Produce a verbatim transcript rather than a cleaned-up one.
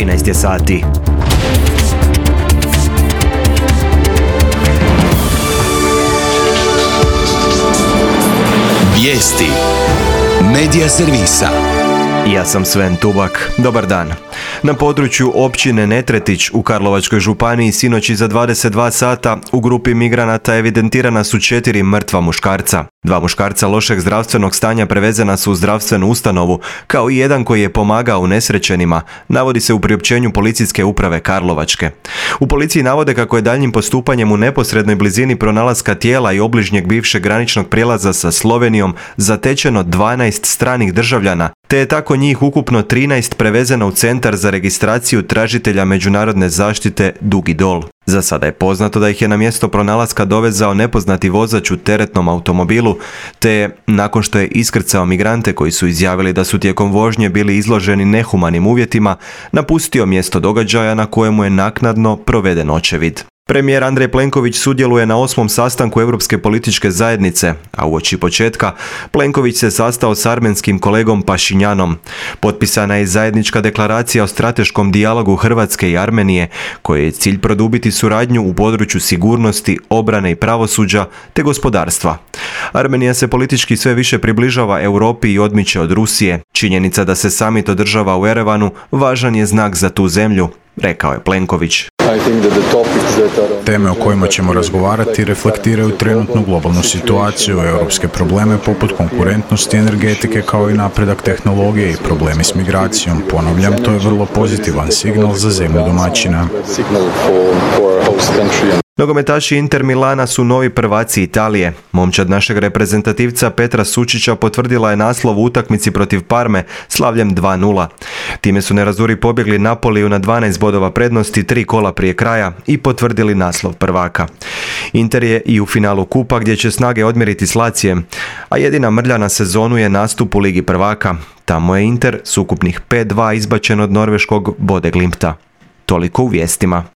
trinaest je sati. Vijesti Medija servisa. Ja sam Sven Tubak. Dobar dan. Na području općine Netretić u Karlovačkoj županiji sinoć iza dvadeset dva sata u grupi migranata evidentirana su četiri mrtva muškarca. Dva muškarca lošeg zdravstvenog stanja prevezena su u zdravstvenu ustanovu, kao i jedan koji je pomagao unesrećenima, navodi se u priopćenju policijske uprave Karlovačke. U policiji navode kako je daljnjim postupanjem u neposrednoj blizini pronalaska tijela i obližnjeg bivšeg graničnog prijelaza sa Slovenijom zatečeno dvanaest stranih državljana, te je tako njih ukupno trinaest prevezeno u centar za registraciju tražitelja međunarodne zaštite Dugi Dol. Za sada je poznato da ih je na mjesto pronalaska dovezao nepoznati vozač u teretnom automobilu, te nakon što je iskrcao migrante koji su izjavili da su tijekom vožnje bili izloženi nehumanim uvjetima, napustio mjesto događaja na kojemu je naknadno proveden očevid. Premijer Andrej Plenković sudjeluje na osmom sastanku Europske političke zajednice, a uoči početka Plenković se sastao s armenskim kolegom Pašinjanom. Potpisana je zajednička deklaracija o strateškom dijalogu Hrvatske i Armenije, koji je cilj produbiti suradnju u području sigurnosti, obrane i pravosuđa te gospodarstva. Armenija se politički sve više približava Europi i odmiče od Rusije. Činjenica da se samit održava u Erevanu važan je znak za tu zemlju, rekao je Plenković. Teme o kojima ćemo razgovarati reflektiraju trenutnu globalnu situaciju, europske probleme poput konkurentnosti energetike kao i napredak tehnologije i problemi s migracijom. Ponavljam, to je vrlo pozitivan signal za zemlju domaćina. Nogometaši Inter Milana su novi prvaci Italije. Momčad našeg reprezentativca Petra Sučića potvrdila je naslov u utakmici protiv Parme slavljem dva nula. Time su nerazuri pobjegli Napoliju na dvanaest bodova prednosti tri kola prije kraja i potvrdili naslov prvaka. Inter je i u finalu kupa gdje će snage odmjeriti s Lacijem, a jedina mrlja na sezonu je nastup u Ligi prvaka. Tamo je Inter s ukupnih pet dva izbačen od norveškog Bodø/Glimta. Toliko u vijestima.